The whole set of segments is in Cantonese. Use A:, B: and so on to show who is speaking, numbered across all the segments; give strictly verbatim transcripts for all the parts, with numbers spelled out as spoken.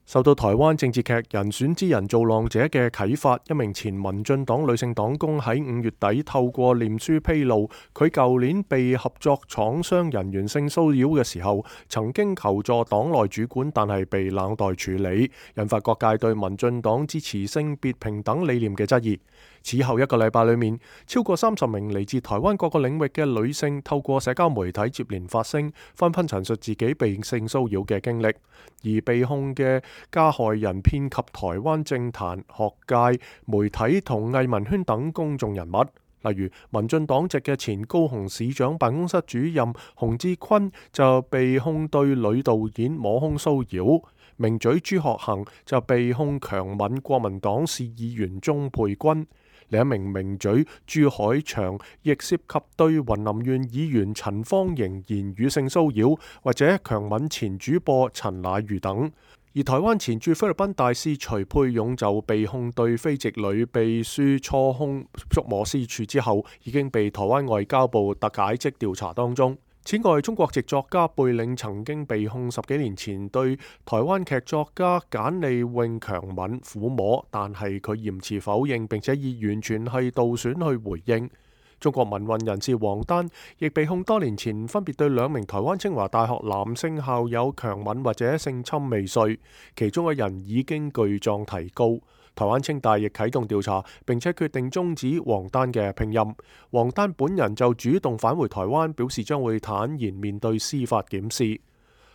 A: 受到台灣政治劇人選之人造浪者嘅啟發，一名前民進黨女性黨工喺五月底透過臉書披露，佢舊年被合作廠商人員性騷擾嘅時候，曾經求助黨內主管，但係被冷待處理，引發各界對民進黨支持性別平等理念嘅質疑。此後一個禮拜裏面，超過三十名嚟自台灣各個領域嘅女性透過社交媒體接連發聲，紛紛陳述自己被性騷擾嘅經歷，而被控嘅加害人遍及台灣政壇、學界、媒體同藝文圈等公眾人物，例如民進黨籍嘅前高雄市長辦公室主任洪志坤就被控對女導演摸胸騷擾，名嘴朱學恆就被控強吻國民黨市議員鍾沛君。另一名名嘴朱海翔亦涉及對雲林縣議員陳芳瑩言語性騷擾，或者強吻前主播陳乃瑜等。而台灣前駐菲律賓大使徐沛勇就被控對非籍女秘書搓胸觸摸私處之後，已經被台灣外交部特解職調查當中。此外，中國籍作家貝嶺曾經被控十幾年前對台灣劇作家簡莉穎強吻撫摸，但係佢嚴詞否認，並且以完全係盜選去回應。中國民運人士王丹亦被控多年前分別對兩名台灣清華大學男性校友強吻或者性侵未遂，其中一人已經具狀提告。台灣清大亦啟動調查，並且決定終止王丹嘅聘任。王丹本人就主動返回台灣，表示將會坦然面對司法檢視。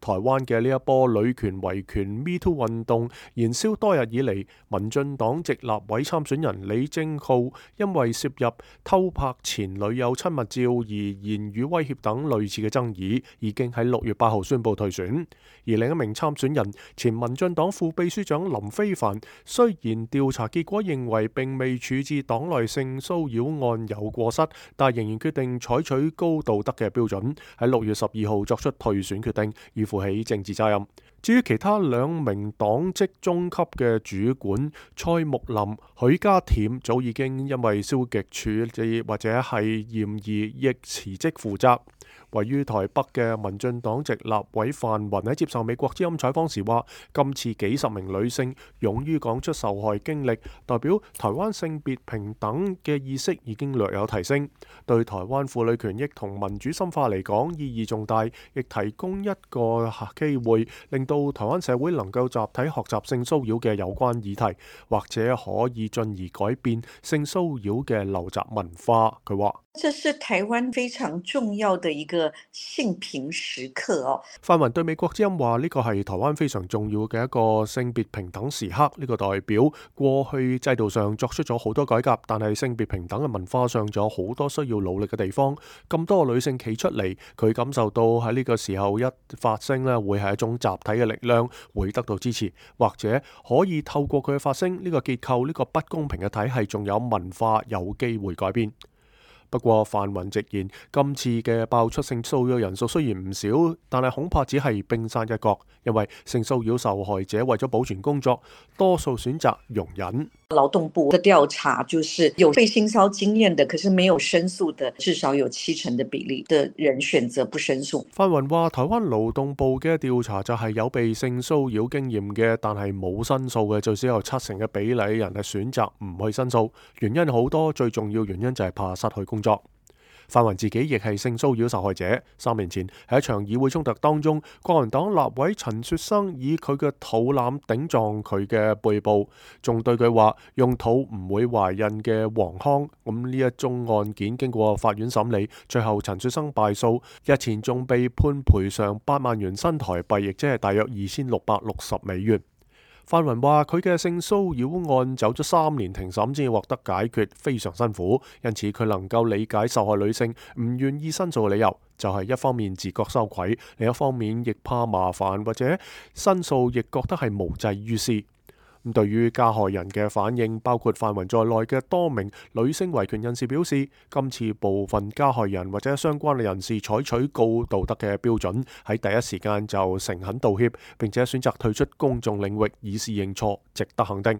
A: 台灣嘅呢一波女權維權 Me Too 運動燃燒多日以嚟，民進黨籍立委參選人李正浩因為涉入偷拍前女友親密照而言語威脅等類似嘅爭議，已經喺六月八號宣布退選。而另一名參選人前民進黨副秘書長林飛帆，雖然調查結果認為並未處置黨內性騷擾案有過失，但仍然決定採取高道德嘅標準，喺六月十二號作出退選決定，以負起政治責任。至於其他兩名黨職中級嘅主管蔡木林、許家恬，早已經因為消極處理或者係嫌疑亦辭職負責。位於台北嘅民進黨籍立委范雲喺接受美國之音採訪時話，今次幾十名女性勇於講出受害經歷，代表台灣性別平等嘅意識已經略有提升，對台灣婦女權益同民主深化嚟講意義重大，亦提供一個機會令到台灣社會能夠集體學習性騷擾嘅有關議題，或者可以進而改變性騷擾嘅陋習文化。佢話：
B: 這是台灣非常重要的一個性平時刻哦。
A: 范雲對美國之音話：呢個係台灣非常重要嘅一個性別平等時刻。呢個代表過去制度上作出咗好多改革，但係性別平等嘅文化上仲有好多需要努力嘅地方。咁多女性企出嚟，佢感受到喺呢個時候一發聲咧，會係一種集體嘅力量，會得到支持，或者可以透過佢嘅發聲，呢個結構呢個不公平嘅體系，仲有文化有機會改變。不過范雲直言，今次嘅爆出性騷擾人數雖然唔少，但係恐怕只係冰山一角，因為性騷擾受害者為咗保存工作，多數選擇容忍。
B: 勞動部的調查就是有被性騷擾經驗的，可是沒有申訴的，至少有七成的比例的人選擇不申訴。
A: 范雲話：台灣勞動部嘅調查就係有被性騷擾經驗嘅，但係冇申訴嘅，最少有七成嘅比例人係選擇唔去申訴，原因好多，最重要原因就係怕失去工作。范雲自己亦係性騷擾受害者。三年前喺一場議會衝突當中，國民黨立委陳雪生以佢嘅肚腩頂撞佢嘅背部，仲對佢話用肚唔會懷孕嘅黃腔。咁呢一宗案件經過法院審理，最後陳雪生敗訴，日前仲被判賠償八萬元新台幣，亦即係大約二千六百六十美元。范雲話：佢嘅性騷擾案走咗三年庭審先獲得解決，非常辛苦。因此佢能夠理解受害女性唔願意申訴嘅理由，就係一方面自覺羞愧，另一方面亦怕麻煩，或者申訴亦覺得係無濟於事。咁對於加害人嘅反應，包括范雲在內嘅多名女性維權人士表示，今次部分加害人或者相關嘅人士採取高道德嘅標準，喺第一時間就誠懇道歉，並且選擇退出公眾領域以示認錯，值得肯定。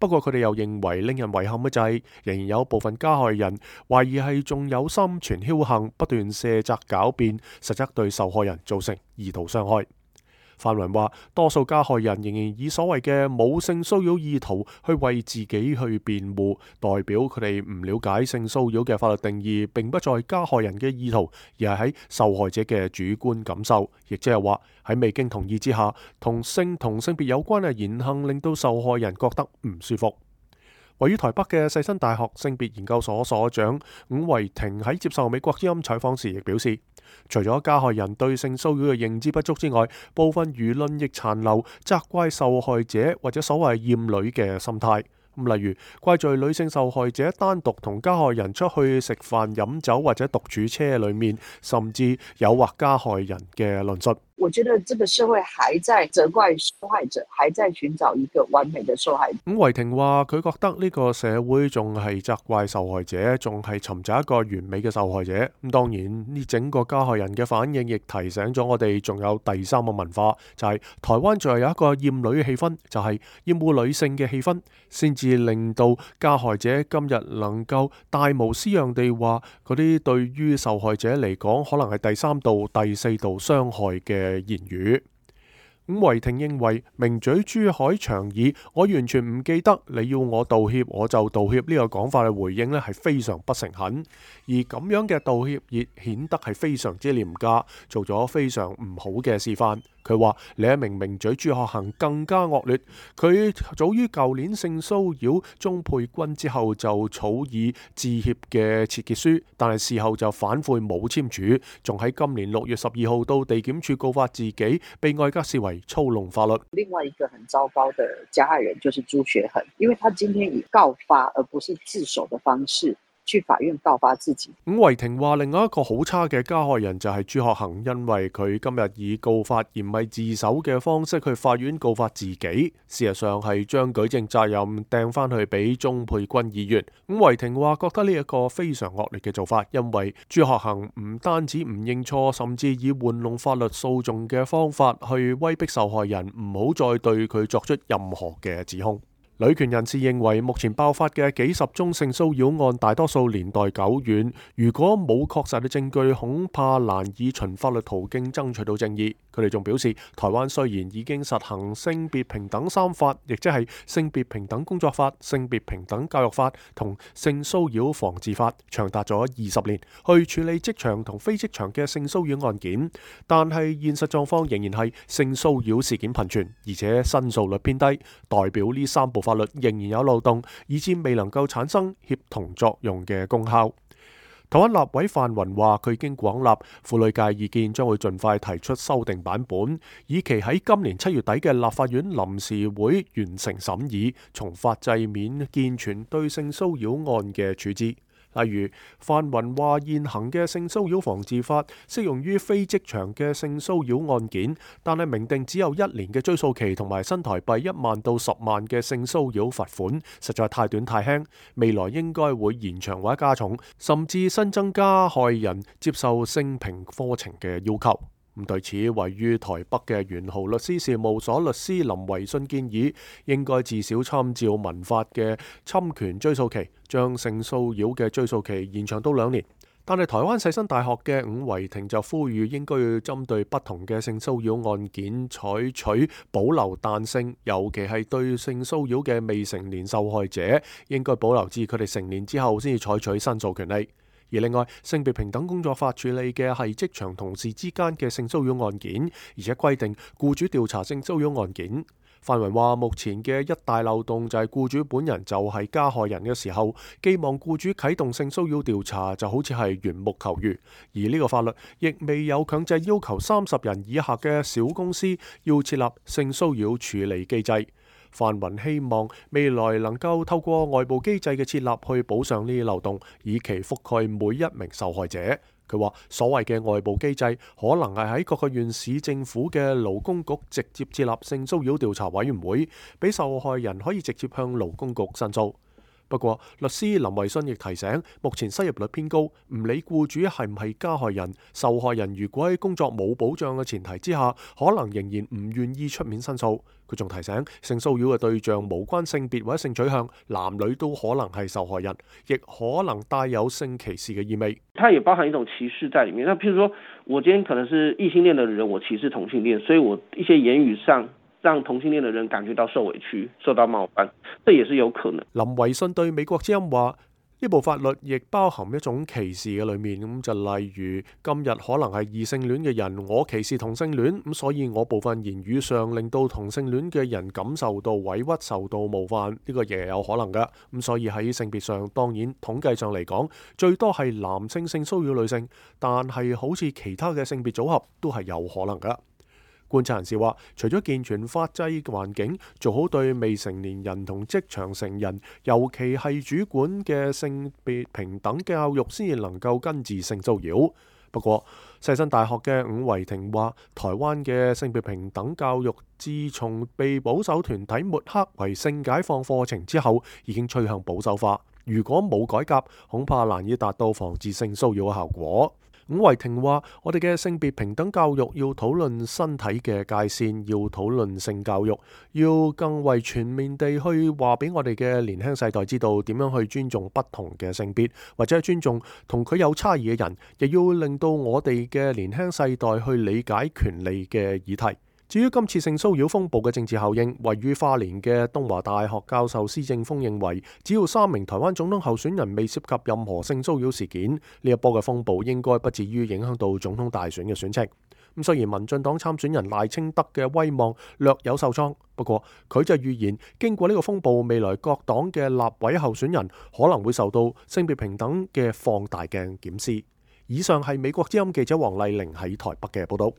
A: 不過佢哋又認為令人遺憾嘅就係，仍然有部分加害人懷疑係仲有心存僥倖，不斷卸責狡辯，實則對受害人造成二度傷害。范雲話，多數加害人仍然以所謂嘅冇性騷擾意圖去為自己去辯護，代表佢哋唔了解性騷擾嘅法律定義，並不在加害人嘅意圖，而係喺受害者嘅主觀感受，亦即係話喺未經同意之下，同性同性別有關嘅言行令到受害人覺得唔舒服。位於台北嘅世新大學性別研究所所長伍維婷喺接受美國之音採訪時亦表示，除咗加害人對性騷擾嘅認知不足之外，部分輿論亦殘留責怪受害者或者所謂厭女嘅心態。咁例如怪罪女性受害者單獨同加害人出去食飯飲酒或者獨處車裏面，甚至誘惑加害人嘅論述。
C: 我覺得這個社會還在責怪受害者，還在尋找一個完美的受害者。
A: 伍維婷話佢覺得呢個社會仲係責怪受害者，仲係尋找一個完美嘅受害者。咁當然呢整個加害人嘅反應亦提醒咗我哋，仲有第三個文化，就係台灣仲係有一個厭女嘅氣氛，就係厭惡女性嘅氣氛，先至令到加害者今日能夠大無私樣地話嗰啲對於受害者嚟講可能係第三度、第四度傷害嘅言語。伍維婷認為名嘴朱海長以我完全唔記得你要我道歉我就道歉呢個講法嘅回應呢係非常不誠懇，而咁樣嘅道歉亦顯得係非常之廉價，做咗非常唔好嘅示範。佢話另一名名嘴朱學恆更加惡劣，佢早於舊年性騷擾鍾沛君之後就草擬致歉嘅切結書，但係事後就反悔冇簽署，仲喺今年六月十二號到地檢署告發自己，被外界視為操弄法律。
C: 另外一個很糟糕的加害人就是朱學恆，因為他今天以告發而不是自首的方式去法院告發自己。
A: 伍維婷話另外一個好差嘅加害人就係朱學恆，因為佢今日以告發而唔係自首嘅方式去法院告發自己，事實上係將舉證責任掟翻去俾鍾沛君議員。伍維婷話覺得呢一個非常惡劣嘅做法，因為朱學恆唔單止唔認錯，甚至以玩弄法律訴訟嘅方法去威逼受害人唔好再對佢作出任何嘅指控。女權人士認為，目前爆發嘅幾十宗性騷擾案，大多數年代久遠，如果冇確實嘅證據，恐怕難以循法律途徑爭取到正義。佢哋仲表示，台灣雖然已經實行性別平等三法，亦即係性別平等工作法、性別平等教育法同性騷擾防治法，長達咗二十年，去處理職場同非職場嘅性騷擾案件，但係現實狀況仍然係性騷擾事件頻傳，而且申訴率偏低，代表呢三部法律仍然有漏洞，以致未能夠產生協同作用嘅功效。台灣立委范雲話，佢已經廣納婦女界意見，將會盡快提出修訂版本，以期喺今年七月底嘅立法院臨時會完成審議，從法制面健全對性騷擾案嘅處置。例如，范雲話現行嘅性騷擾防治法適用於非職場嘅性騷擾案件，但係明定只有一年嘅追訴期同埋新台幣一萬到十萬嘅性騷擾罰款，實在太短太輕。未來應該會延長或者加重，甚至新增加害人接受性平課程嘅要求。咁對此，位於台北嘅元豪律師事務所律師林維信建議，應該至少參照民法嘅侵權追訴期，將性騷擾嘅追訴期延長到兩年。但係台灣世新大學嘅伍維婷就呼籲，應該要針對不同嘅性騷擾案件採取保留彈性，尤其係對性騷擾嘅未成年受害者，應該保留至佢哋成年之後先至採取申訴權利。而另外，性別平等工作法處理嘅係職場同事之間嘅性騷擾案件，而且規定僱主調查性騷擾案件。范雲話，目前嘅一大漏洞就係僱主本人就係加害人嘅時候，寄望僱主啟動性騷擾調查就好似係緣木求魚，而呢個法律亦未有強制要求三十人以下嘅小公司要設立性騷擾處理機制。范雲希望未來能夠透過外部機制嘅設立去補上呢啲漏洞，以期覆蓋每一名受害者。佢話所謂嘅外部機制可能係喺各個縣市政府嘅勞工局直接設立性騷擾調查委員會，俾受害人可以直接向勞工局申訴。不過，律師林維信亦提醒，目前失業率偏高，唔理僱主係唔係加害人，受害人如果喺工作冇保障嘅前提之下，可能仍然唔願意出面申訴。佢仲提醒，性騷擾嘅對象無關性別或者性取向，男女都可能係受害人，亦可能帶有性歧視嘅意味。
D: 它也包含一種歧視在裡面。那譬如說，我今天可能是異性戀的人，我歧視同性戀，所以我一些言語上讓同性戀的人感覺到受委屈、受到冒犯，這也是有可能。
A: 林維信對美國之音話：呢部法律亦包含一種歧視嘅裏面，咁就例如今日可能係異性戀嘅人，我歧視同性戀，咁所以我部分言語上令到同性戀嘅人感受到委屈、受到冒犯，呢個亦有可能噶。咁所以喺性別上，當然統計上嚟講，最多係男性性騷擾女性，但係好似其他嘅性別組合都係有可能噶。觀察人士話，除咗健全法制環境，做好對未成年人同職場成人，尤其係主管嘅性別平等教育，先至能夠根治性騷擾。不過，世新大學嘅伍維婷話，台灣嘅性別平等教育自從被保守團體抹黑為性解放課程之後，已經趨向保守化。如果冇改革，恐怕難以達到防治性騷擾嘅效果。伍維婷話：我哋嘅性別平等教育要討論身體嘅界線，要討論性教育，要更為全面地去話俾我哋嘅年輕世代知道點樣去尊重不同嘅性別，或者係尊重同佢有差異嘅人，亦要令到我哋嘅年輕世代去理解權利嘅議題。至於今次性騷擾風暴嘅政治效應，位於花蓮嘅東華大學教授施正峰認為，只要三名台灣總統候選人未涉及任何性騷擾事件，呢一波嘅風暴應該不至於影響到總統大選嘅選情。咁雖然民進黨參選人賴清德嘅威望略有受創，不過佢就預言，經過呢個風暴，未來各黨嘅立委候選人可能會受到性別平等嘅放大鏡檢視。以上係美國之音記者黃麗玲喺台北嘅報道。